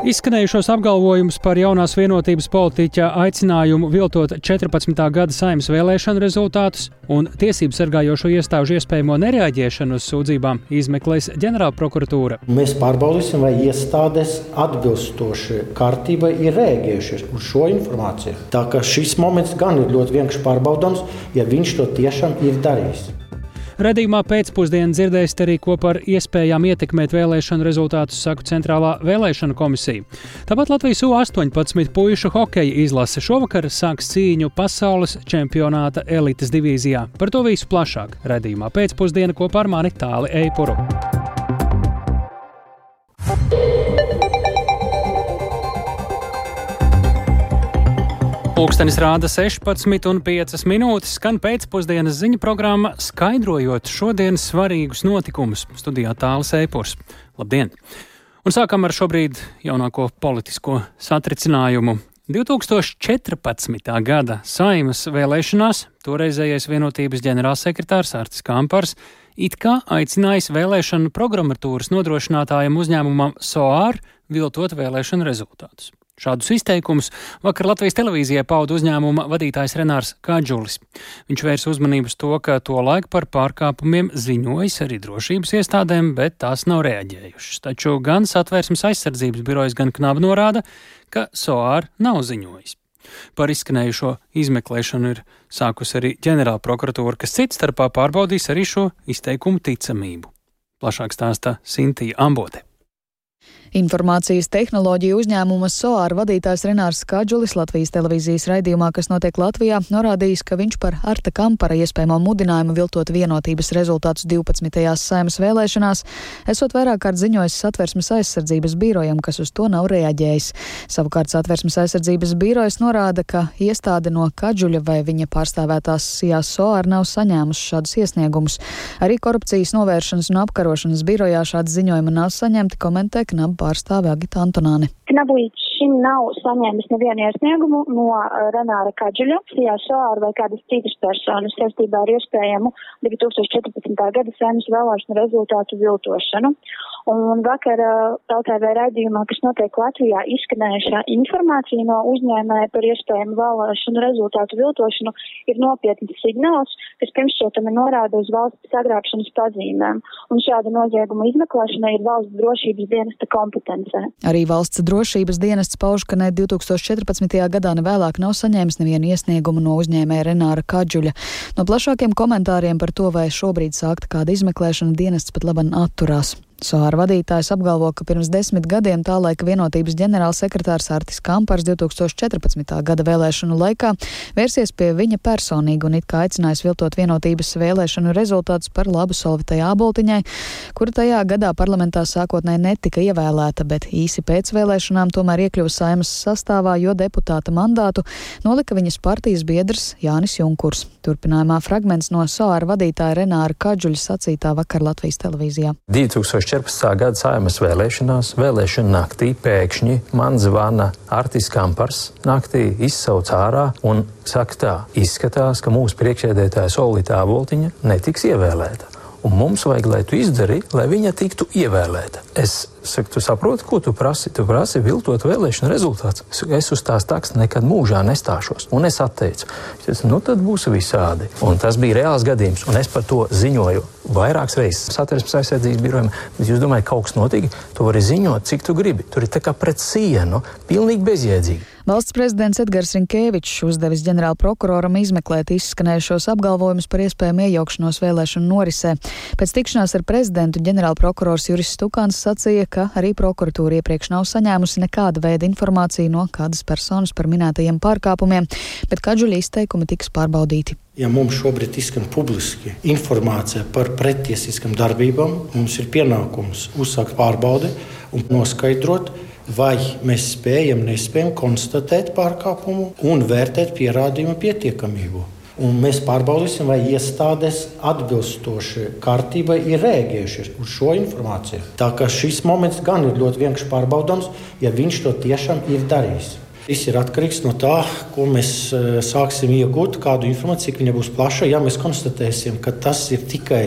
Izskanējušos apgalvojumus par jaunās vienotības politiķa aicinājumu viltot 14. gada Saeimas vēlēšanu rezultātus un tiesību sargājošo iestāžu iespējamo nereaģēšanu uz sūdzībām izmeklēs ģenerālprokuratūra. Mēs pārbaudīsim, vai iestādes atbilstoši kārtībai ir reaģējušas uz šo informāciju. Tā ka šis moments gan ir ļoti vienkārši pārbaudāms, ja viņš to tiešām ir darījis. Redzījumā pēcpusdienā dzirdēsiet arī, ko par iespējām ietekmēt vēlēšanu rezultātus saka Centrālā vēlēšanu komisija. Tāpat Latvijas U-18 puišu hokeja izlase šovakar sāks cīņu pasaules čempionāta elites divīzijā. Par to visu plašāk redzījumā pēcpusdienā kopā ar mani Tāli Eipuru. Pulkstenis rāda 16,5 minūtes, skan pēcpusdienas ziņu programma, skaidrojot šodienas svarīgus notikumus. Studijā Tālis Eipurs. Labdien! Un sākam ar šobrīd jaunāko politisko satricinājumu. 2014. gada Saeimas vēlēšanās toreizējais vienotības ģenerālsekretārs Artis Kampars it kā aicinājis vēlēšanu programmatūras nodrošinātājiem uzņēmumam SOAR viltot vēlēšanu rezultātus. Šādus izteikumus vakar Latvijas televīzijai pauda uzņēmuma vadītājs Renārs Kadžulis. Viņš vērs uzmanību uz to, ka tolaik par pārkāpumiem ziņojis arī drošības iestādēm, bet tās nav reaģējušas. Taču gan Satversmes aizsardzības birojas, gan KNAB norāda, ka SOAR nav ziņojis. Par izskanējušo izmeklēšanu ir sākusi arī ģenerālprokuratūra, kas cits starpā pārbaudīs arī šo izteikumu ticamību. Plašāk stāsta Sintija Ambote. Informācijas tehnoloģiju uzņēmuma SOAR vadītājs Renārs Kadžulis Latvijas televīzijas raidījumā, kas notiek Latvijā, norādījis, ka viņš par Arta Kampara iespējamo mudinājumu viltot vienotības rezultātus 12. Saeimas vēlēšanās esot vairāk kārt ziņojis Satversmes aizsardzības birojam, kas uz to nav reaģējis. Savukārt Satversmes aizsardzības birojas norāda, ka iestāde no Kadžuļa vai viņa pārstāvētās SIA SOAR nav saņēmusi šādus iesniegumus. Arī korupcijas novēršanas un apkarošanas birojā šādi ziņojumi nav saņemti, komentē KNAB pārstāve Agita Antonāne. KNAB līdz šim nav saņēmis nevienu iesniegumu no Renāra Kadžuļa, SIA SOAR vai kādas citas personas saistībā ar iespējamu 2014. gada Saeimas vēlēšanu rezultātu viltošanu. Un vakar TVT raidījumā, kas notiek Latvijā, izskanējušā informācija no uzņēmēja par iespējamu vēlēšanu rezultātu viltošanu ir nopietns signāls, kas pirmšķietami norāda uz valsts sagrābšanas pazīmēm. Un šāda nozieguma izmeklēšana ir valsts drošības dienesta kompetencē. Arī valsts drošības dienests pauž, ka ne 2014. gadā ne vēlāk nav saņēmis nevienu iesniegumu no uzņēmēja Renāra Kadžuļa. No plašākiem komentāriem par to, vai šobrīd sākta kāda izmeklēšana, dienests pat laban atturās. SOAR vadītājs apgalvo, ka pirms 10 gadiem tā laika vienotības ģenerālsekretārs Artis Kampars 2014. gada vēlēšanu laikā vērsies pie viņa personīgi un it kā aicinājis viltot vienotības vēlēšanu rezultātus par labu Solvitai Āboltiņai, kura tajā gadā parlamentā sākotnēji netika ievēlēta, bet īsi pēc vēlēšanām tomēr iekļuva Saeimas sastāvā, jo deputāta mandātu nolika viņas partijas biedrs Jānis Junkurs. Turpinājumā fragments no SOAR vadītāja Renāra Kadžuļa sacītā vakar Latvijas televīzijā. 2014. gada Saeimas vēlēšanās, vēlēšana naktī pēkšņi man zvana Artis Kampars, naktī izsauc ārā un saka tā, izskatās, ka mūsu priekšsēdētāja Solvita Āboltiņa netiks ievēlēta. Un mums vajag, lai tu izdari, lai viņa tiktu ievēlēta. Es saku, tu saproti, ko tu prasi? Tu prasi viltot vēlēšanu rezultāts. Es uz tās taks nekad mūžā nestāšos. Un es atteicu. Es, tad būs visādi. Un tas bija reāls gadījums. Un es par to ziņoju vairākas reizes Satversmes aizsardzības birojam. Bet jūs domājat, kaut kas notika? Tu vari ziņot, cik tu gribi. Tur ir tā kā pret sienu, pilnīgi bezjēdzīgi. Valsts prezidents Edgars Rinkēvičs uzdevis ģenerālprokuroram izmeklēt izskanējušos apgalvojumus par iespējamu iejaukšanos vēlēšanu norisē. Pēc tikšanās ar prezidentu ģenerālprokurors Juris Stukāns sacīja, ka arī prokuratūra iepriekš nav saņēmusi nekāda veida informāciju no kādas personas par minētajiem pārkāpumiem, bet Kadžuļa izteikumi tiks pārbaudīti. Ja mums šobrīd izskan publiski informācija par pretiesiskām darbībām, mums ir pienākums uzsākt pārbaudi un noskaidrot, vai mēs spējam, nespējam konstatēt pārkāpumu un vērtēt pierādījumu pietiekamību. Un mēs pārbaudīsim, vai iestādes atbilstoši kārtībai ir reaģējušas uz šo informāciju. Tā kā šis moments gan ir ļoti vienkārši pārbaudāms, ja viņš to tiešām ir darījis. Viss ir atkarīgs no tā, ko mēs sāksim iegūt, kādu informāciju, cik viņa būs plaša. Ja mēs konstatēsim, ka tas ir tikai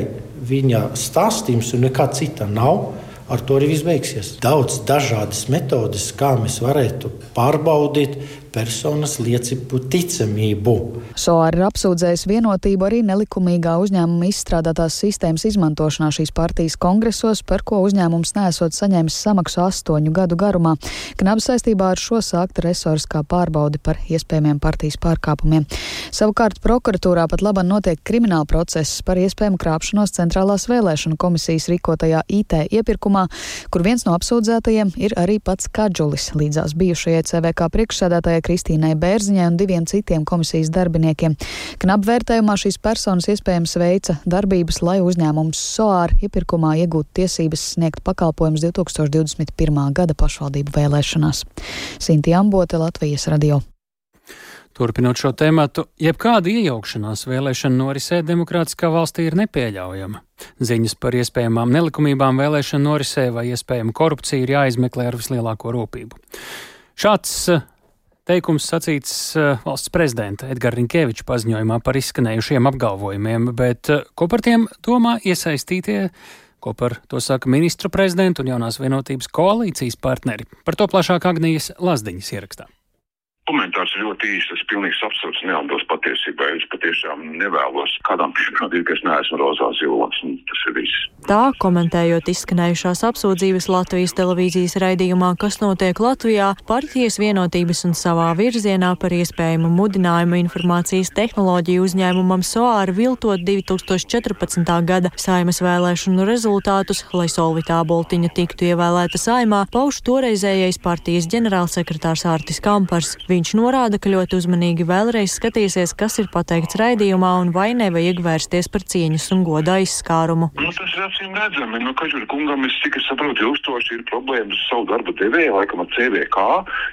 viņa stāstījums un nekā cita nav, ar to arī viss beigsies. Daudz dažādas metodes, kā mēs varētu pārbaudīt personas liecību ticamību. SOAR ir apsūdzējis Vienotību arī nelikumīgā uzņēmuma izstrādātās sistēmas izmantošanā šīs partijas kongresos, par ko uzņēmums neesot saņēmis samaksu 8 gadu garumā. Knabs saistībā ar šo sākta resoriskā pārbaude par iespējamiem partijas pārkāpumiem. Savukārt prokuratūrā pat labāk notiek krimināla process par iespējamu krāpšanos Centrālās vēlēšanu komisijas rīkotajā IT iepirkumā, kur viens no apsūdzētajiem ir arī pats Kadžulis, līdzās bijušajai CVK priekšsēdētājai Kristīnai Bērziņai un 2 citiem komisijas darbiniekiem. Knab vērtējumā šīs personas iespējams veica darbības, lai uzņēmums SOAR iepirkumā iegūtu tiesības sniegt pakalpojumus 2021. gada pašvaldību vēlēšanās. Sinti Ambote, Latvijas radio. Turpinot šo tematu, jebkāda iejaukšanās vēlēšanu norisē demokrātiskā valstī ir nepieļaujama. Ziņas par iespējamām nelikumībām vēlēšanu norisē vai iespējamu korupciju ir jāizmeklē ar vislielāko rūpību. Šāds teikums sacīts valsts prezidenta Edgara Rinkēviča paziņojumā par izskanējušiem apgalvojumiem, bet ko par tiem domā iesaistītie, ko par to saka ministru prezidenta un jaunās Vienotības koalīcijas partneri? Par to plašāk Agnijas Lazdiņas ierakstā. Komentārs ir ļoti īsts, tas pilnīgs absurds, neatbilst patiesībai. Es patiešām nevēlos kādām pierādīt, ka es neesmu rozā zilonis, un tas ir viss. Tā, komentējot izskanējušās apsūdzības Latvijas televīzijas raidījumā, kas notiek Latvijā, partijas Vienotības un savā virzienā par iespējamu mudinājumu informācijas tehnoloģiju uzņēmumam SOAR viltot 2014. gada Saeimas vēlēšanu rezultātus, lai Solvita Āboltiņa tiktu ievēlēta Saeimā, pauž toreizējais partijas ģenerālsekretārs Artis Kampars. Viņš norāda, ka ļoti uzmanīgi vēlreiz skatīsies, kas ir pateikts raidījumā un vai nevajag vērsties par cieņas un goda aizskārumu. Tas ir acīm redzami. Kadžuļa kungam, cik es saprotu, ilgstoši ir problēmas ar savu darba devēju, laikam ar CVK.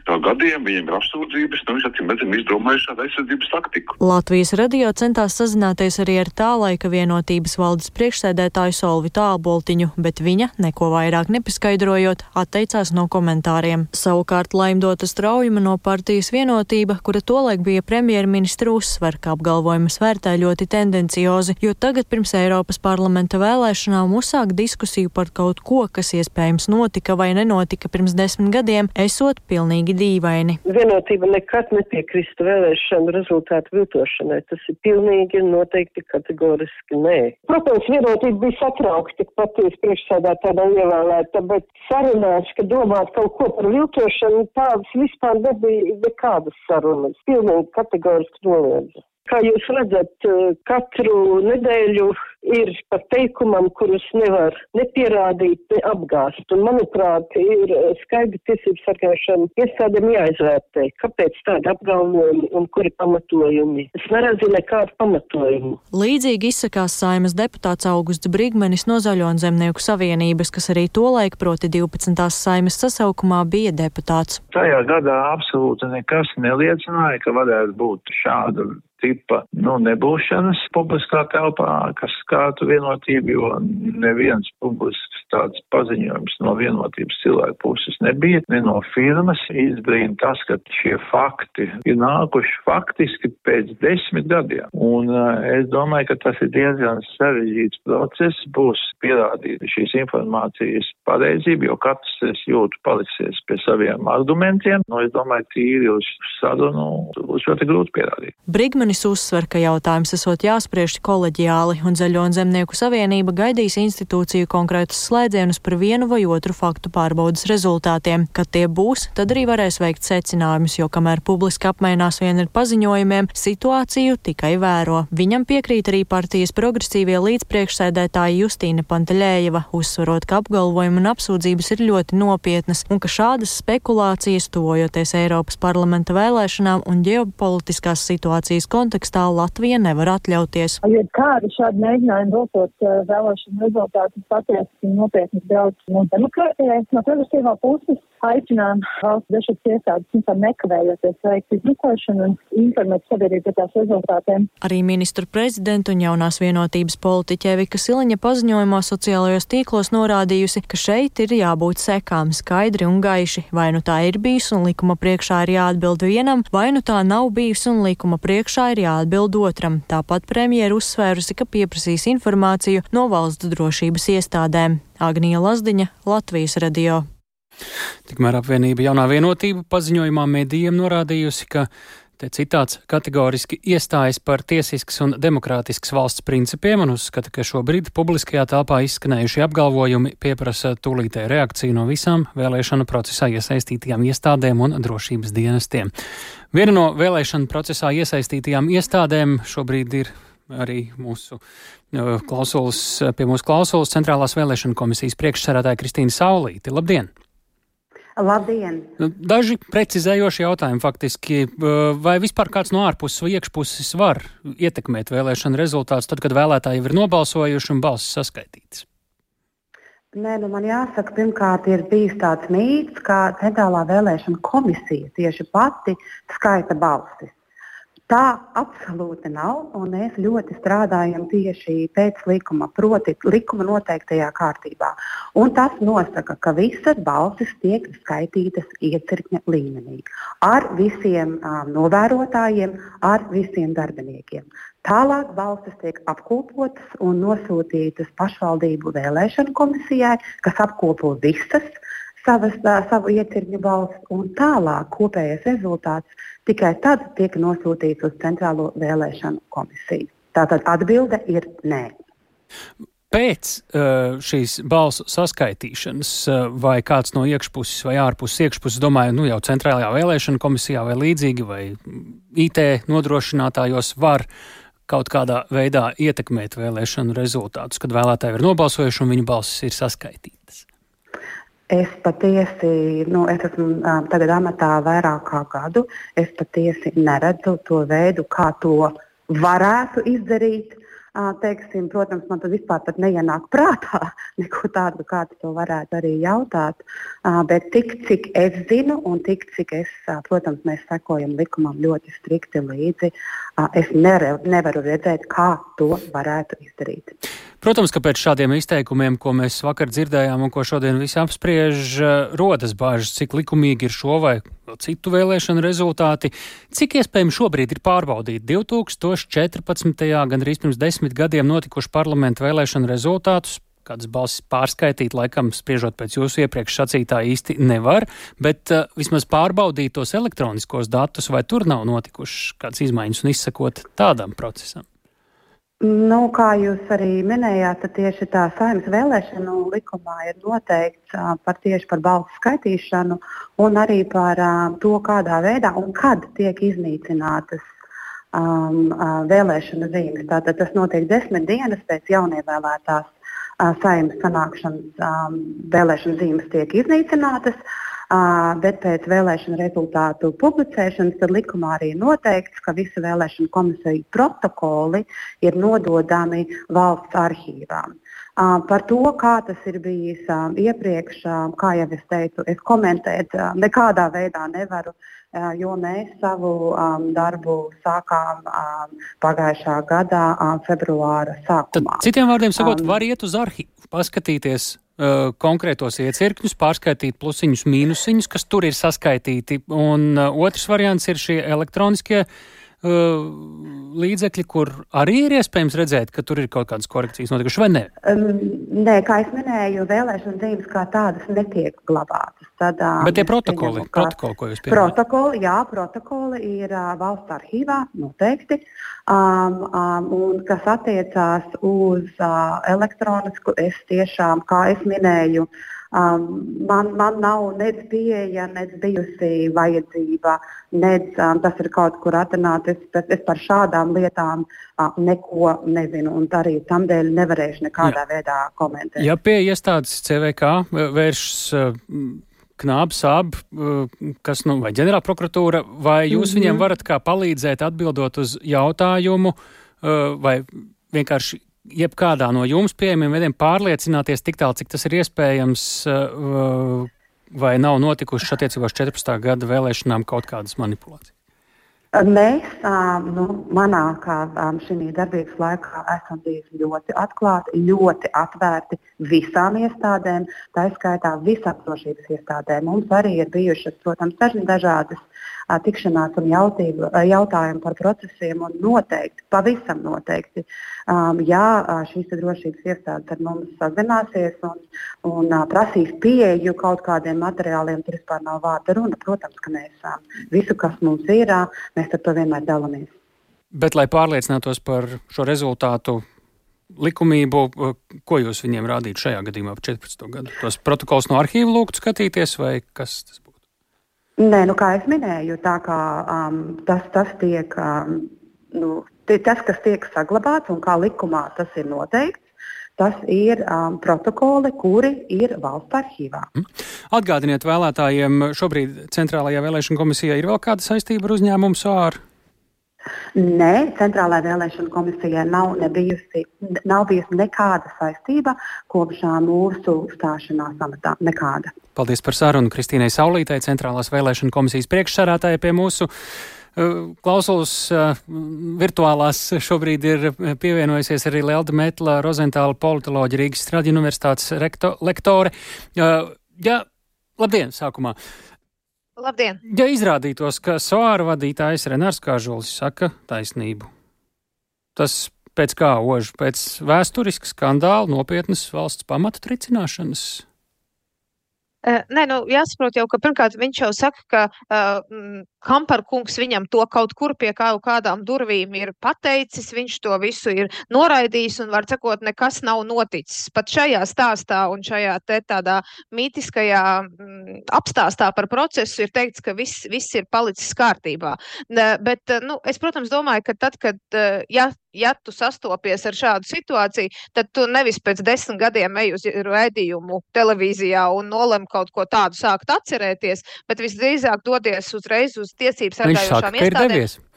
Tā gadiem viņiem ir apsūdzības, viņš acīm redzami izdomājuši šādu aizsardzības taktiku. Latvijas radio centās sazināties arī ar tā laika Vienotības valdes priekšsēdētāju Solvitu Āboltiņu, bet viņa, neko vairāk nepaskaidrojot, atteicās no komentāriem. Savukārt Laimdota Straujuma no partijas Vienotība, kura tolaik bija premjerministra, uzsver, ka apgalvojumus vērtē ļoti tendenciozi, jo tagad pirms Eiropas parlamenta vēlēšanām uzsākt diskusiju par kaut ko, kas iespējams notika vai nenotika pirms 10 gadiem, esot pilnīgi dīvaini. Vienotība nekad nepiekrista vēlēšanu rezultātu viltošanai. Tas ir pilnīgi noteikti kategoriski nē. Protams, Vienotība bija satraukta, ka partijas priekšsēdētāja nav ievēlēta, bet sarunās, ka domāt kaut ko par viltošanu, tādas vispār nebija nekādas sarunas. Pilnīgi kategoriski noliedza. Kā jūs redzat, katru nedēļu ir par teikumam, kurus nevar nepierādīt, neapgāst. Un, manuprāt, ir skaidri tiesības sargāšana iestādēm jāizvērtē, kāpēc tādi apgalvojumi un kuri pamatojumi. Es neredzu nekādu pamatojumu. Līdzīgi izsakās Saeimas deputāts Augusts Brigmanis no Zaļo un Zemnieku savienības, kas arī tolaik, proti 12. Saeimas sasaukumā, bija deputāts. Tajā gadā absolūti nekas neliecināja, ka varētu būt šāda tipa nebūšanas publiskā telpā, kas skārtu Vienotību, jo neviens publisks tāds paziņojums no Vienotības cilvēku puses nebija, ne no firmas. Izbrīna tas, ka šie fakti ir nākuši faktiski pēc 10 gadiem. Un es domāju, ka tas ir diezgan sarežģīts process, būs pierādīt šīs informācijas pareizību, jo katrs, es jūtu, paliksies pie saviem argumentiem. Es domāju, tīri uz sarunu būs ļoti grūti pierādīt. Brigmanis uzsver, ka jautājums esot jāspriež koleģiāli, un Zaļo un Zemnieku savienība gaidīs institūciju konkrētus slēdzienus par vienu vai otru faktu pārbaudas rezultātiem. Kad tie būs, tad arī varēs veikt secinājumus, jo kamēr publiski apmainās vien ar paziņojumiem, situāciju tikai vēro. Viņam piekrīt arī partijas progresīvie līdzpriekšsēdētāji Justīna Pantaļējeva, uzsverot, ka apgalvojumi un apsūdzības ir ļoti nopietnas, un ka šādas spekulācijas, tuvojoties Eiropas parlamenta vēlēšanām un ģeopolitiskās situācijas kontekstā, Latvija nevar atļauties. Ja kādi šādi mēģinājumi viltot vēlēšanu rezultātus patiesi nopietni draudz no demokrātijai, no progresīvā puses, aicinām valsts dažādas iestādes nekavējoties veikt izmeklēšanu un informēt sabiedrību par tās rezultātiem. Arī ministru prezidenta un jaunās vienotības politiķe Vika Siliņa paziņojumā sociālajos tīklos norādījusi, ka šeit ir jābūt sekām skaidri un gaiši. Vai nu tā ir bijusi un likuma priekšā ir jāatbild vienam, vai nu tā nav bijusi un likuma priekšā ir jāatbild otram. Tāpat premjera uzsvērusi, ka pieprasīs informāciju no valsts drošības iestādēm. Agnija Lazdiņa, Latvijas radio. Tikmēr apvienība Jaunā vienotība paziņojumā medijiem norādījusi, ka te citāts kategoriski iestājas par tiesisks un demokrātisks valsts principiem un uzskata, ka šobrīd publiskajā telpā izskanējušie apgalvojumi pieprasa tūlītēju reakciju no visām vēlēšanu procesā iesaistītajām iestādēm un drošības dienestiem. Viena no vēlēšanu procesā iesaistītajām iestādēm šobrīd ir arī pie mūsu klausulas Centrālās vēlēšanu komisijas priekšsēdētāja Kristīna Saulīte. Labdien! Labdien! Daži precizējoši jautājumi faktiski. Vai vispār kāds no ārpuses vai iekšpuses var ietekmēt vēlēšanu rezultātus tad, kad vēlētāji ir nobalsojuši un balsis saskaitītas? Nē, man jāsaka, pirmkārt ir bijis tāds mīts, ka Centrālā vēlēšana komisija tieši pati skaita balsis. Tā absolūti nav, un mēs ļoti strādājam tieši pēc likuma, proti likuma noteiktajā kārtībā. Un tas nosaka, ka visas balsis tiek skaitītas iecirkņa līmenī. Ar visiem novērotājiem, ar visiem darbiniekiem. Tālāk balsis tiek apkopotas un nosūtītas pašvaldību vēlēšanu komisijai, kas apkopo visas savu iecirkņu balsis, un tālāk kopējais rezultāts tikai tad tiek nosūtīts uz Centrālo vēlēšanu komisiju. Tātad atbilde ir nē. Pēc šīs balsu saskaitīšanas vai kāds no iekšpuses vai ārpuses, domāju, jau Centrālajā vēlēšanu komisijā vai līdzīgi, vai IT nodrošinātājos var kaut kādā veidā ietekmēt vēlēšanu rezultātus, kad vēlētāji ir nobalsojuši un viņu balsis ir saskaitītas? Es patiesi, es esmu tagad amatā vairāk kā gadu, es patiesi neredzu to veidu, kā to varētu izdarīt. Protams, man tas vispār pat neienāk prātā, neko tādu, kāds to varētu arī jautāt. Bet tik, cik es zinu un tik, cik protams, mēs sekojam likumam ļoti strikti līdzi, es nevaru redzēt, kā to varētu izdarīt. Protams, ka pēc šādiem izteikumiem, ko mēs vakar dzirdējām un ko šodien visi apspriež, rodas bāžas, cik likumīgi ir šo vai citu vēlēšanu rezultāti. Cik iespējami šobrīd ir pārbaudīt 2014. gandrīz pirms 10 gadiem notikuši parlamentu vēlēšanu rezultātus? Kādas balsis pārskaitīt, laikam, spriežot pēc jūsu iepriekš sacītā īsti nevar, bet vismaz pārbaudīt tos elektroniskos datus, vai tur nav notikušas kādas izmaiņas un izsakot tādam procesam? Kā jūs arī minējāt, tad tieši tā Saeimas vēlēšanu likumā ir noteikts tieši par balsu skaitīšanu un arī par to, kādā veidā un kad tiek iznīcinātas vēlēšanu zīmes. Tātad tas notiek 10 dienas pēc jaunievēlētās Saeimas sanākšanas vēlēšanu zīmes tiek iznīcinātas. Bet pēc vēlēšanu rezultātu publicēšanas tad likumā arī noteikts, ka visi vēlēšanu komisiju protokoli ir nododami valsts arhīvām. Par to, kā tas ir bijis iepriekš, kā jau es teicu, es komentēt nekādā veidā nevaru, jo mēs savu darbu sākām pagājušā gadā februāra sākumā. Tad, citiem vārdiem sakot, var iet uz arhīvu, paskatīties konkrētos iecirkņus, pārskaitīt plusiņus, mīnusiņus, kas tur ir saskaitīti. Un otrs variants ir šie elektroniskie līdzekļi, kur arī ir iespējams redzēt, ka tur ir kaut kādas korekcijas notikušas, vai ne? Nē, kā es minēju, vēlēšana zīmes kā tādas netiek glabātas. Bet tie protokoli, ko jūs pieminējat? Protokoli ir valsts arhīvā noteikti, un kas attiecās uz elektronisku, es tiešām, kā es minēju, man nav nec pieeja, nec bijusi vajadzība, nec tas ir kaut kur atrunāt. Es par šādām lietām neko nezinu, un arī tamdēļ nevarēšu nekādā veidā komentēt. Ja pie iestādes CVK vēršas Knāb, Sāb, kas, vai ģenerālprokuratūra, vai jūs viņiem varat kā palīdzēt atbildot uz jautājumu, vai vienkārši jebkādā no jums pieejamiem veidiem pārliecināties tik tālu, cik tas ir iespējams, vai nav notikušas attiecībās 14. gada vēlēšanām kaut kādas manipulācijas? Mēs, manā šī darbības laikā esam bijuši ļoti atklāti, ļoti atvērti visām iestādēm, tā izskaitā visaptvarošības iestādēm. Mums arī ir bijušas, protams, dažādas tikšanās un jautājumi par procesiem, un noteikti, pavisam noteikti, ja šīs drošības iestādes ar mums sazināsies un prasīs pieeju kaut kādiem materiāliem, tur vispār nav vārda runa. Protams, ka mēs visu, kas mums ir, mēs ar to vienmēr dalāmies. Bet, lai pārliecinātos par šo rezultātu likumību, ko jūs viņiem rādītu šajā gadījumā par 14. gadu? Tos protokols no arhīva lūgtu skatīties, vai kas tas būtu? Nē, kā es minēju, tā kā tas tiek, tas, kas tiek saglabāts un kā likumā tas ir noteikts, tas ir protokoli, kuri ir valsts arhīvā. Atgādiniet vēlētājiem, šobrīd Centrālajā vēlēšana komisijā ir vēl kāda saistība ar uzņēmumu SOAR? Nē, Centrālajā vēlēšana komisijai nav bijusi nekāda saistība kopš mūsu stāšanās amatā. Nekāda. Paldies par sarunu Kristīnai Saulītei, Centrālās vēlēšana komisijas priekšsēdētāja pie mūsu klausulas virtuālās. Šobrīd ir pievienojusies arī Lelda Metla, Rozentāla politoloģa, Rīgas Straģa universitātes lektore. Labdien, sākumā! Labdien! Ja izrādītos, ka SOAR vadītājs Renārs Kažulis saka taisnību, tas pēc kā ož? Pēc vēsturiska skandāla, nopietnas valsts pamata tricināšanas? Nē, jāsaprot jau, ka pirmkārt viņš jau saka, ka Kamparkungs viņam to kaut kur pie kādām durvīm ir pateicis, viņš to visu ir noraidījis un, var sakot, nekas nav noticis. Pat šajā stāstā un šajā tādā mītiskajā apstāstā par procesu ir teikts, ka viss ir palicis kārtībā. Bet, es, protams, domāju, ka tad, kad, ja tu sastopies ar šādu situāciju, tad tu nevis pēc 10 gadiem ej uz raidījumu televīzijā un nolem kaut ko tādu sākt atcerēties, bet visdrīzāk dodies uzreiz uz tiesības sargājošām iestādēm.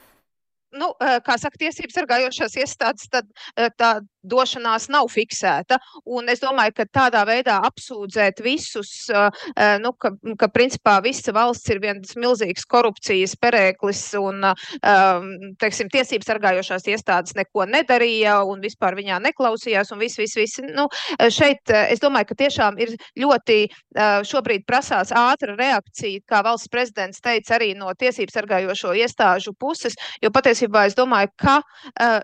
Kā saka, tiesības sargājošās iestādes, tad tā došanās nav fiksēta. Un es domāju, ka tādā veidā apsūdzēt visus, ka principā visa valsts ir viens milzīgs korupcijas perēklis un, teiksim, tiesības sargājošās iestādes neko nedarīja un vispār viņā neklausījās un viss. Šeit es domāju, ka tiešām ir ļoti šobrīd prasās ātra reakcija, kā valsts prezidents teica, arī no tiesības sargājošo iestāžu puses, jo patiesībā es domāju, ka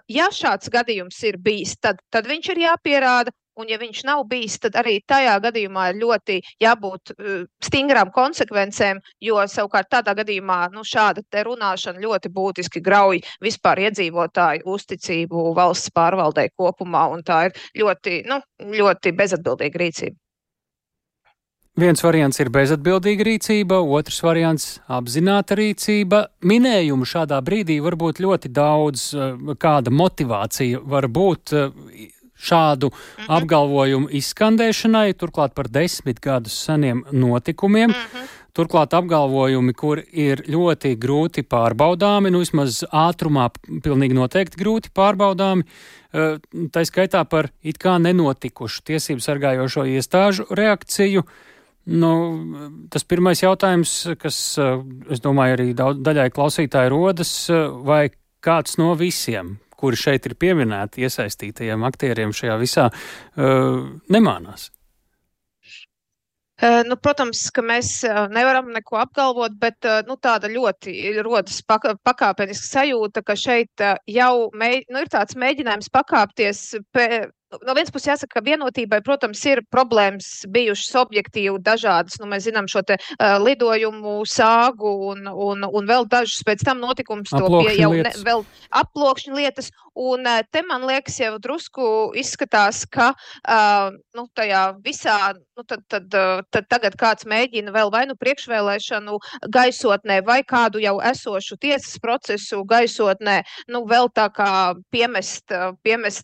ja šāds gadījums ir bijis, tad viņš ir jāpierāda, un ja viņš nav bijis, tad arī tajā gadījumā ir ļoti jābūt stingrām konsekvencēm, jo savukārt tādā gadījumā šāda te runāšana ļoti būtiski grauj vispār iedzīvotāju uzticību valsts pārvaldei kopumā, un tā ir ļoti bezatbildīga rīcība. Viens variants ir bezatbildīga rīcība, otrs variants apzināta rīcība. Minējumu šādā brīdī var būt ļoti daudz, kāda motivācija var būt šādu apgalvojumu izskandēšanai, turklāt par 10 gadus seniem notikumiem. Turklāt apgalvojumi, kur ir ļoti grūti pārbaudāmi, vismaz ātrumā pilnīgi noteikti grūti pārbaudāmi, tā skaitā par it kā nenotikušu tiesību sargājošo iestāžu reakciju. Tas pirmais jautājums, kas, es domāju, arī daļai klausītāji rodas, vai kāds no visiem, kuri šeit ir pieminēti iesaistītajiem aktieriem šajā visā, nemānās? Protams, ka mēs nevaram neko apgalvot, bet tāda ļoti rodas pakāpeniska sajūta, ka šeit jau ir tāds mēģinājums pakāpties. No vienas puses jāsaka, ka vienotībai, protams, ir problēmas bijušas objektīvi dažādas. Mēs zinām šo te lidojumu sāgu un vēl dažus pēc tam notikums vēl aploksņu lietas. Un te, man liekas, jau drusku izskatās, ka tajā visā, tad tagad kāds mēģina vēl vai priekšvēlēšanu gaisotnē vai kādu jau esošu tiesas procesu gaisotnē, vēl tā kā piemest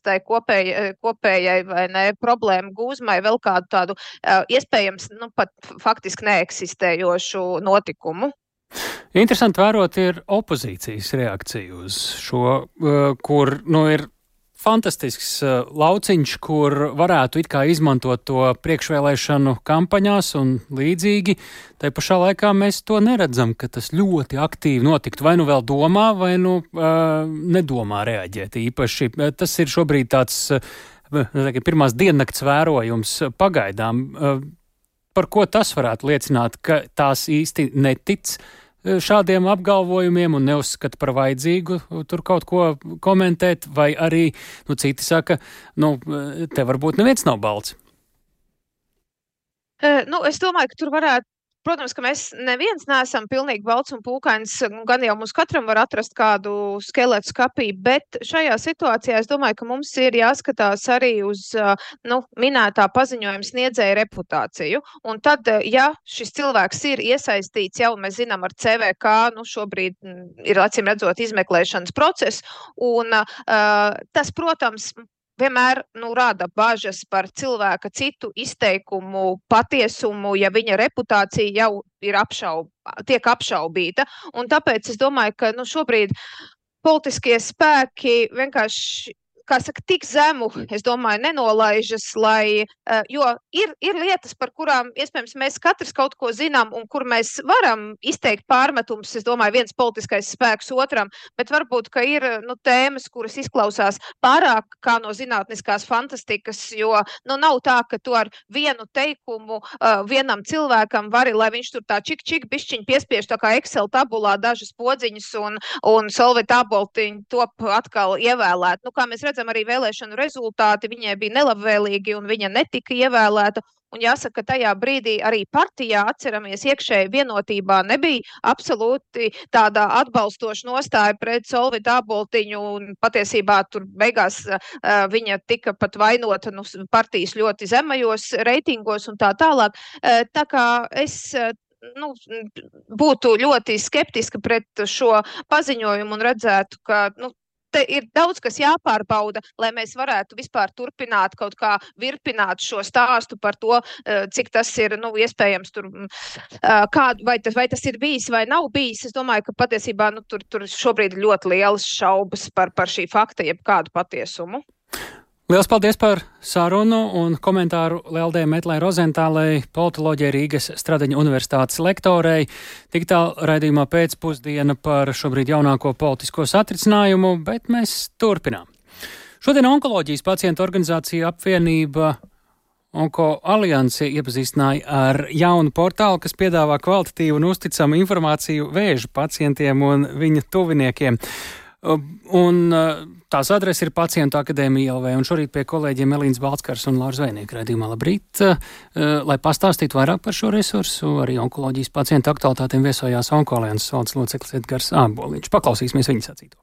tai kopējai vai ne problēmu gūzmai vēl kādu tādu iespējams pat faktiski neeksistējošu notikumu. Interesanti vērot ir opozīcijas reakcija uz šo, kur ir fantastisks lauciņš, kur varētu it kā izmantot to priekšvēlēšanu kampaņās un līdzīgi. Tai pašā laikā mēs to neredzam, ka tas ļoti aktīvi notiktu. Vai nu vēl domā, vai nu nedomā reaģēt īpaši. Tas ir šobrīd tāds pirmās diennakts vērojums pagaidām. Par ko tas varētu liecināt, ka tās īsti netic šādiem apgalvojumiem un neuzskata par vajadzīgu tur kaut ko komentēt, vai arī, citi saka, te varbūt neviens nav balts? Es domāju, ka tur varētu, protams, ka mēs neviens neesam pilnīgi balts un pūkains, gan jau mums katram var atrast kādu skeletu skapī, bet šajā situācijā es domāju, ka mums ir jāskatās arī uz minētā paziņojuma sniedzēja reputāciju. Un tad, ja šis cilvēks ir iesaistīts, jau mēs zinām ar CVK, šobrīd ir acīm redzot izmeklēšanas process, un tas, protams, vienmēr rada bažas par cilvēka citu izteikumu patiesumu, ja viņa reputācija jau ir tiek apšaubīta. Un tāpēc es domāju, ka šobrīd politiskie spēki vienkārši, tik zemu, es domāju, nenolaižas, jo ir lietas, par kurām, iespējams, mēs katrs kaut ko zinām un kur mēs varam izteikt pārmetumus, es domāju, viens politiskais spēks otram, bet varbūt, ka ir tēmas, kuras izklausās pārāk kā no zinātniskās fantastikas, jo nav tā, ka tu ar vienu teikumu vienam cilvēkam vari, lai viņš tur tā čik bišķiņ piespiež tā kā Excel tabulā dažas podziņas un Solvit Aboltiņu top atkal ievēlēt. Kā mēs redzam, arī vēlēšanu rezultāti viņai bija nelabvēlīgi un viņa netika ievēlēta. Un jāsaka, ka tajā brīdī arī partijā, atceramies, iekšēji vienotībā nebija absolūti tāda atbalstoša nostāja pret Solvitu Aboltiņu, un patiesībā tur beigās viņa tika pat vainota partijas ļoti zemajos reitingos un tā tālāk. Tā kā es būtu ļoti skeptiska pret šo paziņojumu un redzētu, ka te ir daudz, kas jāpārbauda, lai mēs varētu vispār turpināt kaut kā virpināt šo stāstu par to, cik tas ir, iespējams, tur, vai tas ir bijis vai nav bijis. Es domāju, ka patiesībā, tur šobrīd ļoti lielas šaubas par šī fakta, jeb kādu patiesumu. Liels paldies par sarunu un komentāru Leldē Metlai Rozentālei, politoloģijai Rīgas Stradiņa universitātes lektorei. Digitāla raidījumā pēcpusdiena par šobrīd jaunāko politisko satricinājumu, bet mēs turpinām. Šodien Onkoloģijas pacientu organizācija apvienība Onko Aliansi iepazīstināja ar jaunu portālu, kas piedāvā kvalitatīvu un uzticamu informāciju vēža pacientiem un viņa tuviniekiem. Un tās adrese ir Pacientu akadēmija LV, un šorīt pie kolēģiem Elīnas Balckars un Lauras Zvejnieka raidījumā. Labrīt! Lai pastāstītu vairāk par šo resursu, arī onkoloģijas pacientu aktualitātēm viesojās Onko Alianses valdes loceklis Edgars Āboliņš. Paklausīsimies viņa sacīto.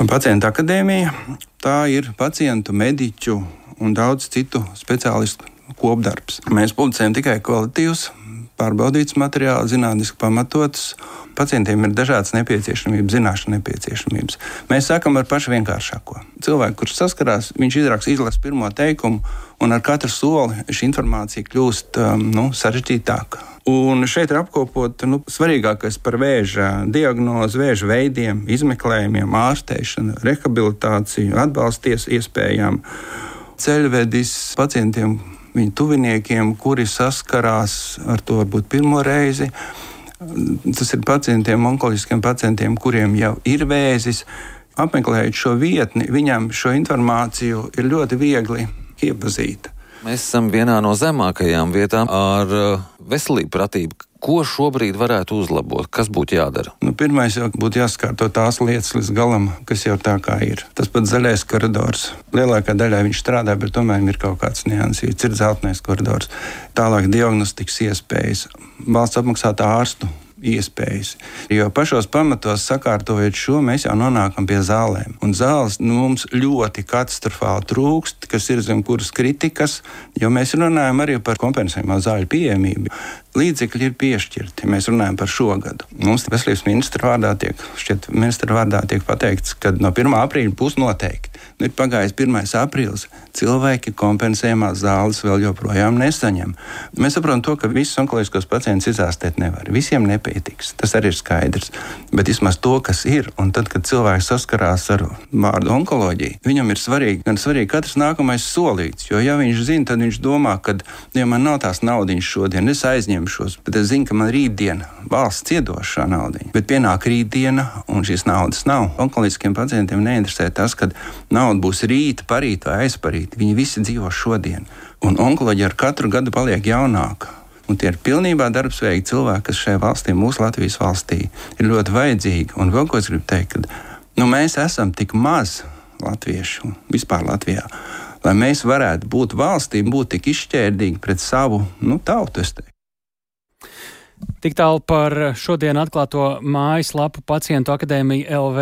Pacientu akadēmija, tā ir pacientu, mediķu un daudz citu speciālistu kopdarbs. Mēs publicējam tikai kvalitatīvus, pārbaudīts materiāls, zinātniski pamatots. Pacientiem ir dažādas nepieciešamības, zināšana nepieciešamības. Mēs sākam ar pašu vienkāršāko. Cilvēku, kurš saskarās, viņš izlasa pirmo teikumu, un ar katru soli šī informācija kļūst sarežģītāka. Un šeit ir apkopot svarīgākais par vēža diagnozi, vēža veidiem, izmeklējumiem, ārstēšanu, rehabilitāciju, atbalsties iespējām, ceļvedis pacientiem, viņu tuviniekiem, kuri saskarās ar to varbūt pirmo reizi. Tas ir pacientiem, onkoloģiskiem pacientiem, kuriem jau ir vēzis. Apmeklējot šo vietni, viņam šo informāciju ir ļoti viegli iepazīt. Mēs esam vienā no zemākajām vietām ar veselību pratību. Ko šobrīd varētu uzlabot? Kas būtu jādara? Pirmais jau būtu jāskārto tās lietas līdz galam, kas jau tā kā ir. Tas pats zaļais koridors. Lielākā daļā viņš strādā, bet tomēr ir kaut kāds niansīts. Ir zeltainais koridors. Tālāk diagnostikas iespējas. Valsts apmaksātā ārstu iespējas. Jo pašos pamatos sakārtojot šo, mēs jau nonākam pie zālēm. Un zāles mums ļoti katastrofāli trūkst, kas ir zem kuras kritikas, jo mēs runājam arī par kompensējumā zāļu pieejamību. līdzekļi ir piešķirti. Mēs runājam par šo gadu. Mums veselības ministra vārdā tiek pateikts, ka no 1. aprīļa būs noteikti. Ir pagājis 1. aprīlis. Cilvēki kompensējumās zāles vēl joprojām nesaņem. Mēs saprotam to, ka visus onkoloģiskos pacientus izārstēt nevar. Visiem nepietiks. Tas arī ir skaidrs. Bet vismaz to, kas ir, un tad, kad cilvēks saskarās ar vārdu onkoloģija, viņam ir svarīgi katrs nākamais solīts. Jo, ja viņš zina, tad viņš domā, ka, ja man nav tās naudiņas šodien, es aizņemšos, bet es zinu, ka man rītdiena valsts iedos šā naudiņa. Bet pienāk rītdiena, un šīs naudas nav. Onkoloģiskiem pacientiem neinteresē tas, kad nauda būs rīt, parīt vai aizparīt. Viņi visi dzīvo šodien. Un onkoloģija ar katru gadu paliek jaunāka. Un tie ir pilnībā darbspējīgi cilvēki, kas šajā valstī, mūsu Latvijas valstī, ir ļoti vajadzīgi. Un vēl ko es gribu teikt, ka mēs esam tik maz latviešu vispār Latvijā, lai mēs varētu būt valstī, būt tik izšķērdīgi pret savu tautu. Tik tālu par šodien atklāto mājaslapu Pacientu akadēmija LV,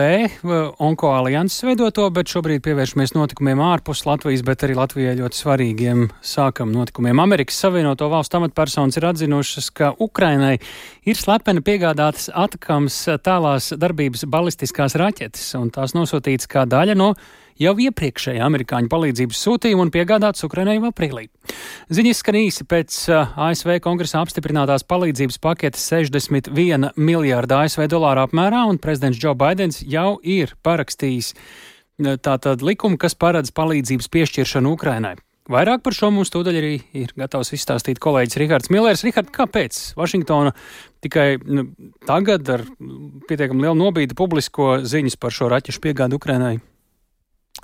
Onko alianses veidoto, bet šobrīd pievēršamies notikumiem ārpus Latvijas, bet arī Latvijai ļoti svarīgiem sākam notikumiem. Amerikas Savienoto Valstu amatpersonas ir atzinušas, ka Ukrainai ir slepeni piegādātas Atakams tālās darbības balistiskās raķetes, un tās nosūtītas kā daļa no jau iepriekšēja amerikāņu palīdzības sūtījuma un piegādāts Ukrainai aprīlī. Ziņas skan īsi pēc ASV kongresā apstiprinātās palīdzības paketes 61 miljārda ASV dolāru apmērā, un prezidents Joe Baidens jau ir parakstījis tātad likumu, kas paredz palīdzības piešķiršanu Ukrainai. Vairāk par šo mums tūdaļ arī ir gatavs izstāstīt kolēģis Rihards Millers. Rihard, kāpēc Vašingtona tikai tagad ar pietiekami lielu nobīdi publisko ziņas par šo raķešu piegādu Ukrainai?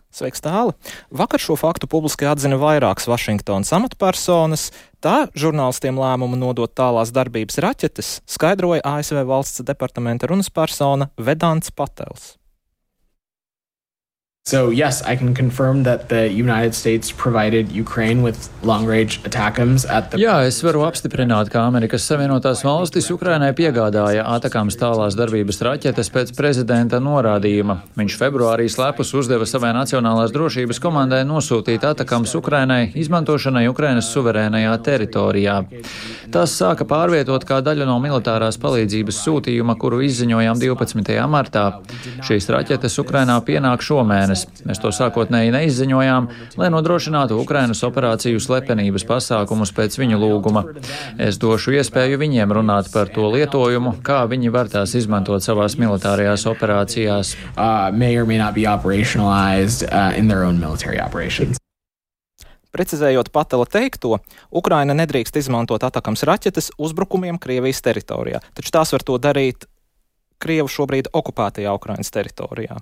Sveiks, Tāli! Vakar šo faktu publiski atzina vairākas Vašingtonas amatpersonas. Tā žurnālistiem lēmumu nodot tālās darbības raķetes skaidroja ASV valsts departamenta runas persona Vedants Patels. So yes, I can confirm that the United States provided Ukraine with long-range ATACMS at the... Jā, es varu apstiprināt, ka Amerikas Savienotās valstis Ukrainai piegādāja Atakams tālās darbības raķetes pēc prezidenta norādījuma. Viņš februārī slepus uzdeva savai Nacionālās drošības komandai nosūtīt Atakams Ukrainai izmantošanai Ukrainas suverēnajā teritorijā. Tas sāka pārvietot kā daļu no militārās palīdzības sūtījuma, kuru izziņojām 12. martā. Šīs raķetes Ukrainā pienāk šomēnes. Mēs to sākotnēji neizziņojām, lai nodrošinātu Ukrainas operāciju slepenības pasākumus pēc viņu lūguma. Es došu iespēju viņiem runāt par to lietojumu, kā viņi var tās izmantot savās militārajās operācijās. Precizējot Patela teikto, Ukraina nedrīkst izmantot Atakams raķetes uzbrukumiem Krievijas teritorijā, taču tās var to darīt Krievu šobrīd okupētajā Ukrainas teritorijā.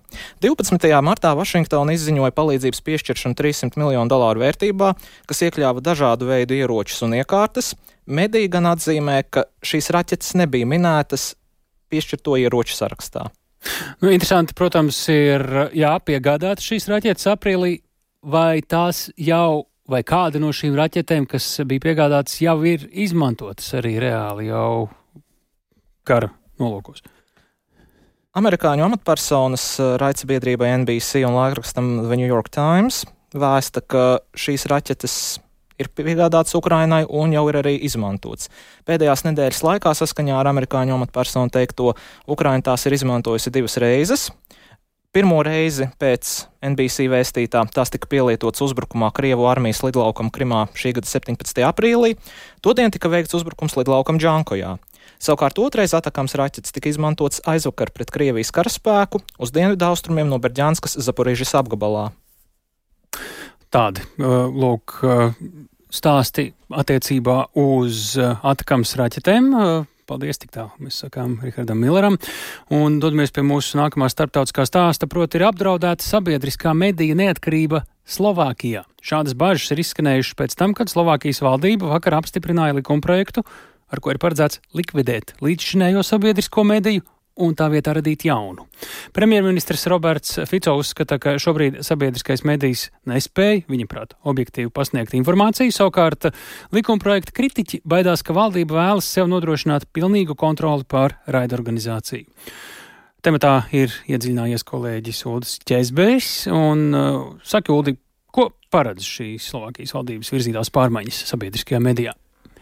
12. martā Vašingtona izziņoja palīdzības piešķiršanu $300 miljonu vērtībā, kas iekļāva dažādu veidu ieročus un iekārtas. Mediji gan atzīmē, ka šīs raķetes nebija minētas piešķirto ieroču sarakstā. Interesanti, protams, ir piegādāt šīs raķetes aprīlī, vai tās jau, vai kāda no šīm raķetēm, kas bija piegādātas, jau ir izmantotas arī reāli jau kara nolūkos. Amerikāņu amatpersonas raidsabiedrībai NBC un laikrakstam The New York Times vēsta, ka šīs raķetes ir piegādātas Ukrainai un jau ir arī izmantotas. Pēdējās nedēļas laikā saskaņā ar amerikāņu amatpersonu teikto, Ukraina tās ir izmantojusi 2 reizes. Pirmo reizi pēc NBC vēstītā tās tika pielietotas uzbrukumā Krievu armijas lidlaukam Krimā šī gada 17. aprīlī. Todien tika veikts uzbrukums lidlaukam Džankojā. Savukārt otrais Atakams raķetes tika izmantots aizvakar pret Krievijas karaspēku uz dienvidu austrumiem no Berģanskas Zaporižas apgabalā. Tādi, lūk, stāsti attiecībā uz Atakams raķetēm. Paldies, tik tālu mēs sakām Rihardam Milleram. Un dodamies pie mūsu nākamā starptautiskā stāsta, proti ir apdraudēta sabiedriskā medija neatkarība Slovākijā. Šādas bažas ir izskanējušas pēc tam, kad Slovākijas valdība vakar apstiprināja likumprojektu, ar ko ir paredzēts likvidēt līdzšinējo sabiedrisko mediju un tā vietā radīt jaunu. Premjerministrs Roberts Fico uzskata, ka šobrīd sabiedriskais medijs nespēja, viņaprāt, objektīvi pasniegt informāciju, savukārt likumprojekta kritiķi baidās, ka valdība vēlas sev nodrošināt pilnīgu kontroli pār raidorganizāciju. Tematā ir iedziļinājies kolēģis Uldis Ķezbejs, un saka, Uldi, ko paredz šīs Slovākijas valdības virzītās pārmaiņas sabiedriskajā medijā?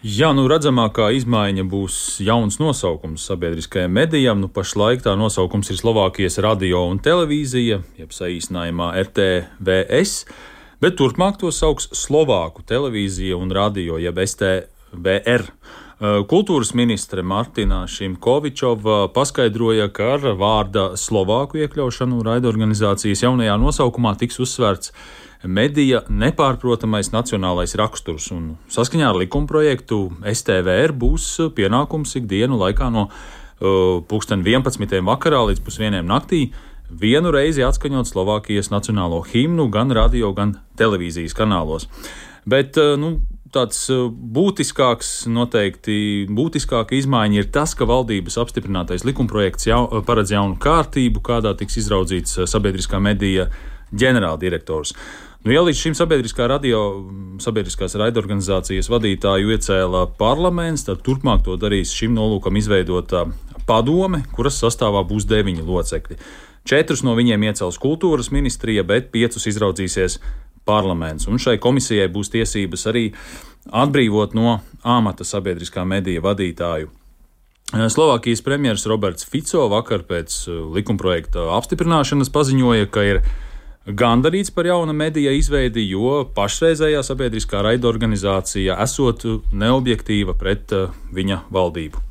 Jā, redzamākā izmaiņa būs jauns nosaukums sabiedriskajiem medijām. Pašlaik tā nosaukums ir Slovākijas radio un televīzija, jeb saīsinājumā RTVS, bet turpmāk to sauks Slovāku televīzija un radio, jeb STVR. Kultūras ministre Martina Šimkovičova paskaidroja, ka ar vārda Slovāku iekļaušanu raidorganizācijas jaunajā nosaukumā tiks uzsvērts medija nepārprotamais nacionālais raksturs, un saskaņā ar likumprojektu STVR būs pienākums ikdienu laikā no 11. vakarā līdz 1:00 naktī vienu reizi atskaņot Slovākijas nacionālo himnu gan radio, gan televīzijas kanālos. Bet, tāds būtiskāka izmaiņa ir tas, ka valdības apstiprinātais likumprojekts paredz jaunu kārtību, kādā tiks izraudzīts sabiedriskā medija ģenerāldirektors. Ja līdz šim sabiedriskās raidorganizācijas vadītāju iecēla parlaments, tad turpmāk to darīs šim nolūkam izveidota padome, kuras sastāvā būs 9 locekļi. 4 no viņiem iecels kultūras ministrija, bet 5 izraudzīsies parlaments. Un šai komisijai būs tiesības arī atbrīvot no amata sabiedriskā medija vadītāju. Slovākijas premjeras Roberts Fico vakar pēc likumprojekta apstiprināšanas paziņoja, ka ir gandarīts par jauna medija izveidi, jo pašreizējā sabiedriskā raidorganizācija esot neobjektīva pret viņa valdību.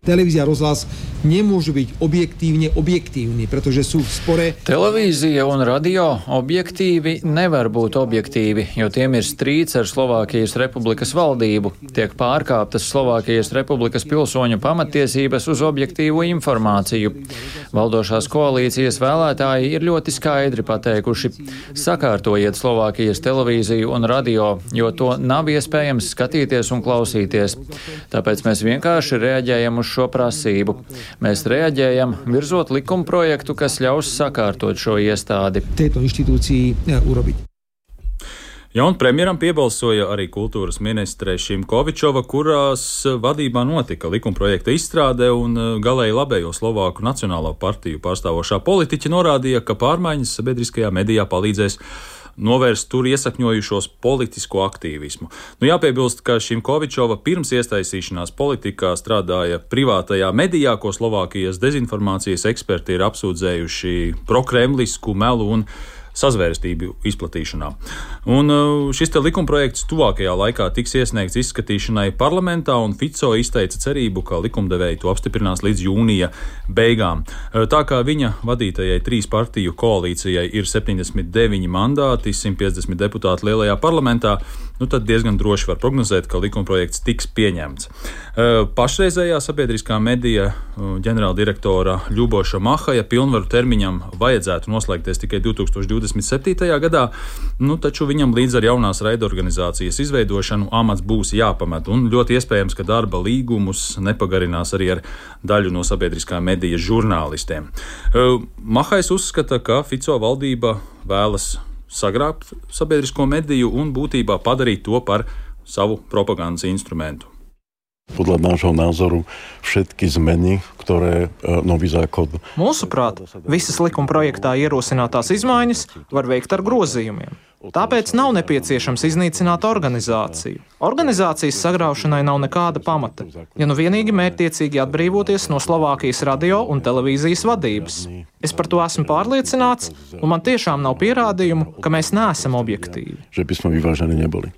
Televízia a rozhlas nemôžu byť objektívni, pretože sú v spore. Televīzija un radio objektīvi nevar būt objektīvi, jo tiem ir strīds ar Slovākijas Republikas valdību. Tiek pārkāptas Slovākijas Republikas pilsoņu pamatiesības uz objektīvu informāciju. Valdošās koalīcijas vēlētāji ir ļoti skaidri pateikuši: sakārtojiet Slovākijas televīziju un radio, jo to nav iespējams skatīties un klausīties. Tāpēc mēs vienkārši reaģējam uz šo prasību. Mēs reaģējam, virzot likumprojektu, kas ļaus sakārtot šo iestādi. Ja, un premjeram piebalsoja arī kultūras ministre Šimkovičova, kurās vadībā notika likumprojekta izstrāde, un galēji labējo Slovāku nacionālo partiju pārstāvošā politiķa norādīja, ka pārmaiņas sabiedriskajā medijā palīdzēs novērst tur iesakņojušos politisko aktīvismu. Jāpiebilst, ka Šimkovičova pirms iesaistīšanās politikā strādāja privātajā medijā, ko Slovākijas dezinformācijas eksperti ir apsūdzējuši prokremlisku melu un sazvērestību izplatīšanā. Un šis likumprojekts tuvākajā laikā tiks iesniegts izskatīšanai parlamentā, un Fico izteica cerību, ka likumdevēji to apstiprinās līdz jūnija beigām. Tā kā viņa vadītajai 3 partiju koalīcijai ir 79 mandāti, 150 deputāti lielajā parlamentā, tad diezgan droši var prognozēt, ka likumprojekts tiks pieņemts. Pašreizējā sabiedriskā medija ģenerāldirektora Ļuboša Mahaja pilnvaru termiņam vajadzētu noslēgties tikai 2027. gadā, taču viņam līdz ar jaunās raidorganizācijas izveidošanu amats būs jāpamet, un ļoti iespējams, ka darba līgumus nepagarinās arī ar daļu no sabiedriskā medija žurnālistiem. Mahais uzskata, ka Fico valdība vēlas sagrābt sabiedrisko mediju un būtībā padarīt to par savu propagandas instrumentu. Podľa nášho názoru všetky zmeny, ktoré nový zákon. Mūsuprāt, visas likumprojektā ierosinātās izmaiņas var veikt ar grozījumiem. Tāpēc nav nepieciešams iznīcināt organizāciju. Organizācijas sagraušanai nav nekāda pamata, ja vienīgi mērķtiecīgi atbrīvoties no Slovākijas radio un televīzijas vadības. Es par to esmu pārliecināts, un man tiešām nav pierādījumu, ka mēs neesam objektīvi. Že by sme vyvážení neboli.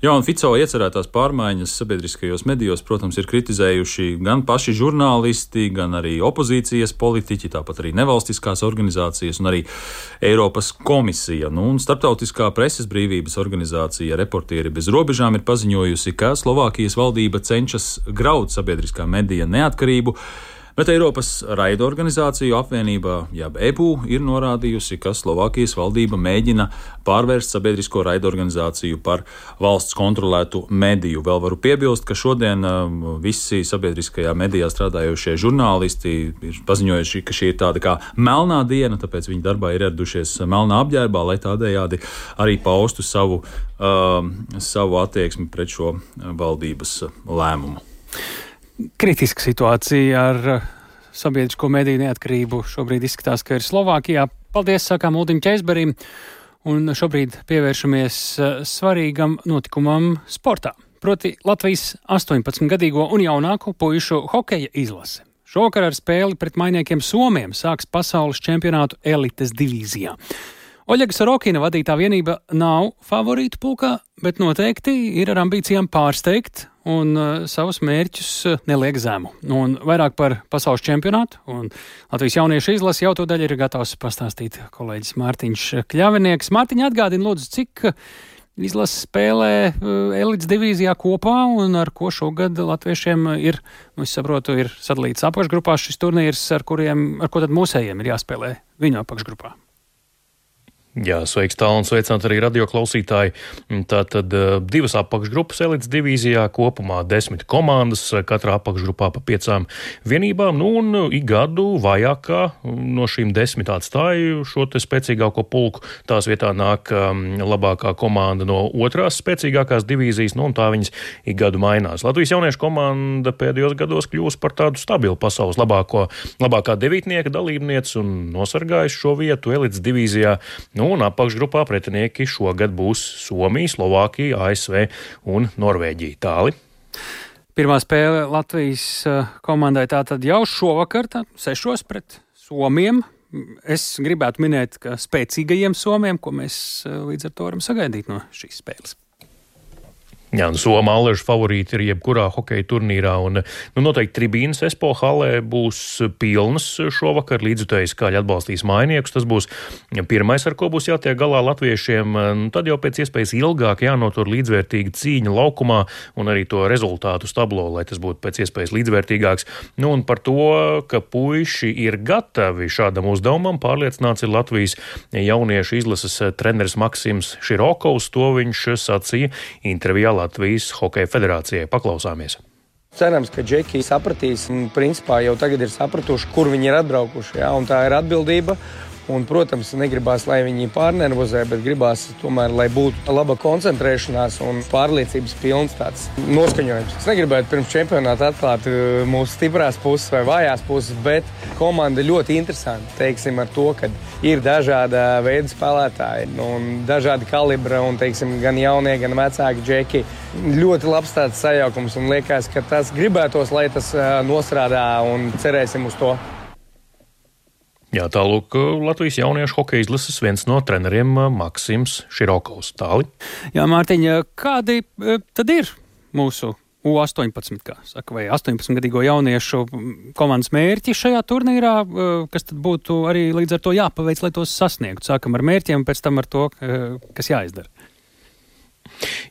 Jā, un Fico iecerētās pārmaiņas sabiedriskajos medijos, protams, ir kritizējuši gan paši žurnālisti, gan arī opozīcijas politiķi, tāpat arī nevalstiskās organizācijas un arī Eiropas komisija. Un Starptautiskā preses brīvības organizācija Reportieri bez robežām ir paziņojusi, ka Slovākijas valdība cenšas graut sabiedriskā medija neatkarību, bet Eiropas raidorganizāciju apvienība, jeb EBU, ir norādījusi, ka Slovākijas valdība mēģina pārvērst sabiedrisko raidorganizāciju par valsts kontrolētu mediju. Vēl varu piebilst, ka šodien visi sabiedriskajā medijā strādājošie žurnālisti ir paziņojuši, ka šī ir tāda kā melnā diena, tāpēc viņi darbā ir ieradušies melnā apģērbā, lai tādējādi arī paustu savu attieksmi pret šo valdības lēmumu. Kritiska situācija ar sabiedrisko mediju neatkarību šobrīd izskatās, ka ir Slovākijā. Paldies, sakām Uldim Ķeizberim, un šobrīd pievēršamies svarīgam notikumam sportā. proti Latvijas 18-gadīgo un jaunāko puišu hokeja izlase. Šovakar ar spēli pret mainiekiem Somiem sāks pasaules čempionātu elites divīzijā. Oļega Sorokina vadītā vienība nav favorītu pulkā, bet noteikti ir ar ambīcijām pārsteigt un savus mērķus neliek zemu. Un vairāk par pasaules čempionātu un Latvijas jauniešu izlasi jau to daļu ir gatavs pastāstīt kolēģis Mārtiņš Kļavinieks. Mārtiņ, atgādini lūdzu, cik izlase spēlē elites divīzijā kopā un ar ko šogad latviešiem ir, es saprotu, ir sadalīts apakšgrupās šis turnīrs, ar ko tad mūsējiem ir jāspēlē viņu apakšgrupā. Jā, sveiks tālu un sveicināt arī radioklausītāji. Tātad divas apakšgrupas elites divīzijā, kopumā 10 komandas, katrā apakšgrupā pa 5 vienībām, un ik gadu vājākā no šīm 10 atstāja šo te spēcīgāko pulku. Tās vietā nāk labākā komanda no otrās spēcīgākās divīzijas, un tā viņas ik gadu mainās. Latvijas jauniešu komanda pēdējos gados kļūst par tādu stabilu pasaules labākā devītnieka dalībniece un nosargājuši šo vietu elites divīzijā. Un apakšgrupā pretinieki šogad būs Somija, Slovākija, ASV un Norvēģija. Tāli. Pirmā spēle Latvijas komandai tātad jau šovakar, 6 pret Somiem. Es gribētu minēt, ka spēcīgajiem Somiem, ko mēs līdz ar to varam sagaidīt no šīs spēles. Jā, Soma Alležu favorīti ir jebkurā hokeja turnīrā, un noteikti tribīnas Espo halē būs pilnas šovakar, līdzjutēji skaļi atbalstīs mainiekus. Tas būs pirmais, ar ko būs jātiek galā latviešiem. Tad jau pēc iespējas ilgāk jānotur līdzvērtīga cīņa laukumā un arī to rezultātu tablo, lai tas būtu pēc iespējas līdzvērtīgāks. Un par to, ka puiši ir gatavi šādam uzdevumam, pārliecināts ir Latvijas jauniešu izlases treneris Maksims Širokovs. To viņš sacīja intervijā Latvijas Hokeja federācijai. Paklausāmies. Cerams, ka džeki sapratīs un principā jau tagad ir sapratuši, kur viņi ir atbraukuši. Jā, un tā ir atbildība. Un, protams, negribās, lai viņi pārnervozē, bet gribās tomēr, lai būtu laba koncentrēšanās un pārliecības pilns tāds noskaņojums. Es negribētu pirms čempionāta atklāt mūsu stiprās puses vai vājās puses, bet komanda ļoti interesanti, teiksim, ar to, ka ir dažāda veida spēlētāji un dažādi kalibra un, teiksim, gan jaunie, gan vecāki džeki. Ļoti labs tāds sajaukums un liekas, ka tas gribētos, lai tas nostrādā un cerēsim uz to. Jā, tālūk Latvijas jauniešu hokeja izlases viens no treneriem Maksims Širokovs. Tāli. Jā, Mārtiņa, kādi tad ir mūsu U18, kā saka, vai 18-gadīgo jauniešu komandas mērķi šajā turnīrā, kas tad būtu arī līdz ar to jāpaveic, lai tos sasniegtu? Sākam ar mērķiem, pēc tam ar to, kas jāizdara.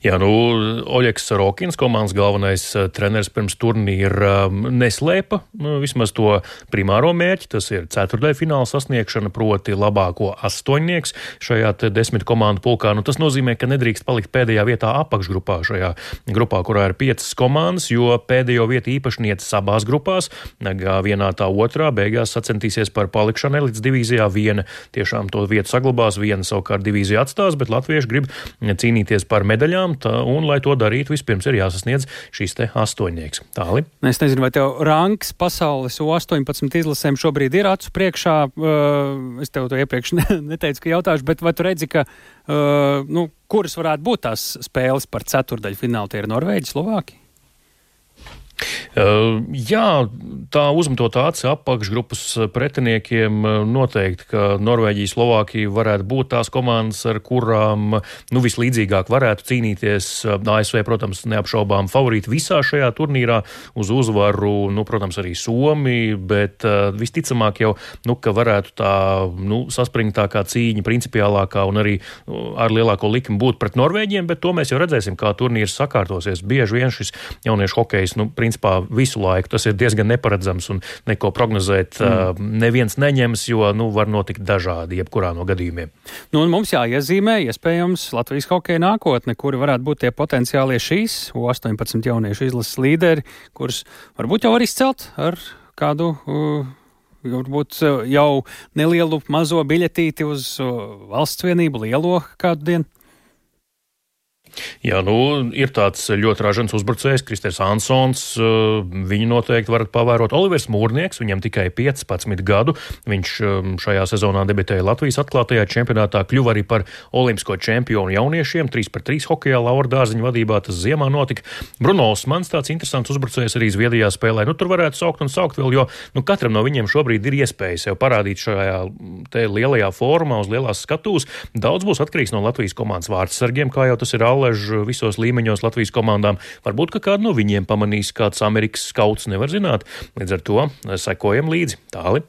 Jā, Oļegs Sorokins, komandas galvenais treneris pirms turnīra neslēpa vismaz to primāro mērķi, tas ir ceturtdaļfināla sasniegšana, proti labāko astoņnieks šajā 10 komandu pulkā. Tas nozīmē, ka nedrīkst palikt pēdējā vietā apakšgrupā šajā grupā, kurā ir 5 komandas, jo pēdējo vietu īpašnieces abās grupās, vienā tā otrā, beigās sacentīsies par palikšanu elites divīzijā. Viena tiešām to vietu saglabās, viena savukārt divīziju atstās, bet latvieši grib cīnīties par medaļām, un, lai to darītu, vispirms ir jāsasniedz šīs te astoņnieks. Tāli. Es nezinu, vai tev rangs pasaules U18 izlasēm šobrīd ir acu priekšā. Es tev to iepriekš neteicu, ka jautāšu, bet vai tu redzi, ka kuras varētu būt tās spēles par ceturdaļu finālu? Tie ir Norvēģi, Slovāki? Jā, tā uzmetot aci apakšgrupas pretiniekiem noteikti, ka Norvēģija, Slovākija varētu būt tās komandas, ar kurām vislīdzīgāk varētu cīnīties. ASV, protams, neapšaubām favorīti visā šajā turnīrā uz uzvaru, protams, arī Somija, bet visticamāk jau, ka varētu tā saspringtākā cīņa, principiālākā un arī ar lielāko likmi būt pret Norvēģiem, bet to mēs jau redzēsim, kā turnīrs sakārtosies. Bieži vien šis jauniešu hokejs, principā visu laiku tas ir diezgan neparedzams un neko prognozēt neviens neņems, jo var notikt dažādi jebkurā no gadījumiem. Un mums jāiezīmē, iespējams, Latvijas hokeja nākotne, kuri varētu būt tie potenciālie šīs U18 jauniešu izlases līderi, kurus varbūt jau var izcelt ar kādu varbūt jau nelielu mazo biļetīti uz valsts vienību, lielo kādu dienu. Jā, ir tāds ļoti ražants uzbrucējs, Kristers Ansons, viņu noteikti varat pavērot. Olivers Mūrnieks, viņam tikai 15 gadu, viņš šajā sezonā debitēja Latvijas atklātajā čempionātā, kļuva arī par olimpisko čempionu jauniešiem, 3x3 hokejā Laura Dārziņa vadībā, tas ziemā notika. Bruno Osmans, tāds interesants uzbrucējs arī Zviedrijā spēlē, tur varētu saukt vēl, jo katram no viņiem šobrīd ir iespēja sev parādīt šajā te lielajā fórumā uz lielās skatūs. Daudz būs atkarīgs no Latvijas komandas vārdsargiem, kā jau tas ir visos līmeņos Latvijas komandām. Varbūt, ka kādu no viņiem pamanīs kāds Amerikas skauts, nevar zināt. Līdz ar to sekojam līdzi. Tāli.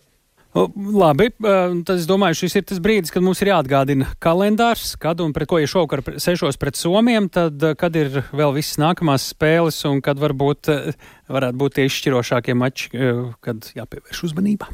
Labi, tad es domāju, šis ir tas brīdis, kad mums ir jāatgādina kalendārs, kad un pret ko ir šovakar 6 pret Somiem, tad kad ir vēl visas nākamās spēles un kad varētu būt tie izšķirošākie mači, kad jāpievērš uzmanība.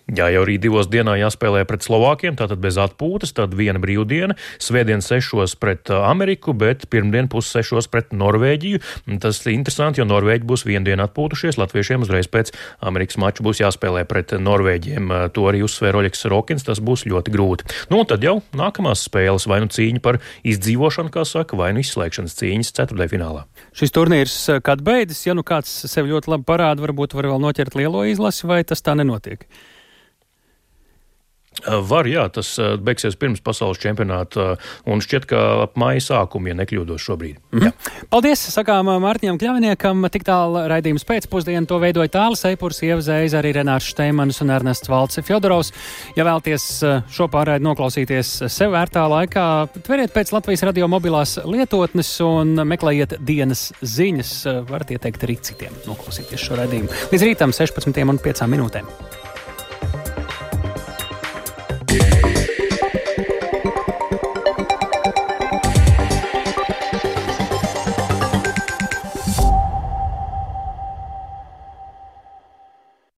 Jā, jau arī 2 dienā jāspēlē pret Slovākiem, tātad bez atpūtas, tad viena brīvdiena, svētdien 6 pret Ameriku, bet pirmdien 5:30 pret Norvēģiju. Tas ir interesanti, jo Norvēģi būs vienu dienu atpūtušies, latviešiem uzreiz pēc Amerikas mača būs jāspēlē pret Norvēģiem. To arī uzsvēra Oļegs Rokins, tas būs ļoti grūti. Un tad jau nākamās spēles, vai nu cīņa par izdzīvošanu, kā saka, vai nu izslēgšanas cīņas ceturtdaļfinālā. Šis turnīrs kad beidzas, ja kāds sev ļoti labi parāda, varbūt var vēl noķert lielo izlasi, vai tas tā nenotiek? Var, jā, tas beigsies pirms pasaules čempionāta un šķiet, ka ap māja sākumu, ja nekļūdos šobrīd. Jā. Paldies, sakām Mārtiņam Kļaviniekam, tik tālu raidījums pēcpusdienu, to veidoja Tālis Eipurs, Ieva Zēza, arī Renārs Šteimanis un Ernests Valce Fjodorovs. Ja vēlties šo pārraidi noklausīties sev vērtā laikā, tveriet pēc Latvijas radio mobilās lietotnes un meklējiet dienas ziņas, varat ieteikt arī citiem noklausīties šo raidījumu. Līdz rītam 16:05.